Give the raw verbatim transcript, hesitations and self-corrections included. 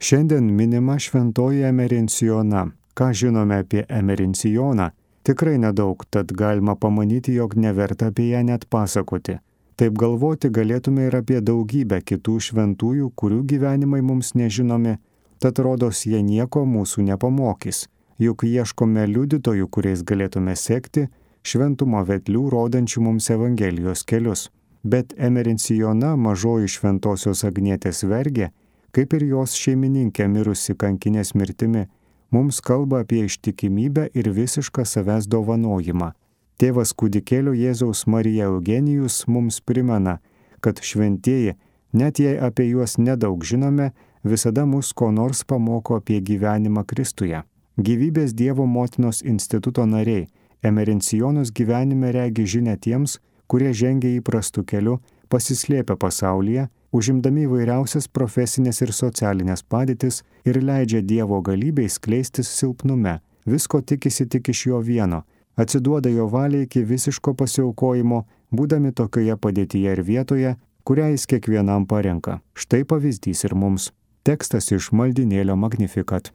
Šiandien minima šventoji Emerencijona. Ką žinome apie Emerencijoną? Tikrai nedaug, tad galima pamanyti, jog neverta apie ją net pasakoti. Taip galvoti galėtume ir apie daugybę kitų šventųjų, kurių gyvenimai mums nežinomi, tad rodos jie nieko mūsų nepamokys. Juk ieškome liudytojų, kuriais galėtume sekti, šventumo vedlių, rodančių mums Evangelijos kelius. Bet Emerencijona, mažoji šventosios Agnietės vergė, kaip ir jos šeimininkė mirusi kankinės mirtimi, mums kalba apie ištikimybę ir visišką savęs dovanojimą. Tėvas kūdikėlio Jėzaus Marija Eugenijus mums primena, kad šventieji, net jei apie juos nedaug žinome, visada mus ko nors pamoko apie gyvenimą Kristuje. Gyvybės Dievo motinos instituto nariai Emerencijonos gyvenime regi žinią tiems, kurie žengia įprastų kelių, pasislėpia pasaulyje, užimdami įvairiausias profesinės ir socialinės padėtis ir leidžia Dievo galybei skleistis silpnume, visko tikisi tik iš jo vieno, atsiduoda jo valiai iki visiško pasiaukojimo, būdami tokioje padėtyje ir vietoje, kurią jis kiekvienam parenka. Štai pavyzdys ir mums. Tekstas iš maldynėlio Magnificat.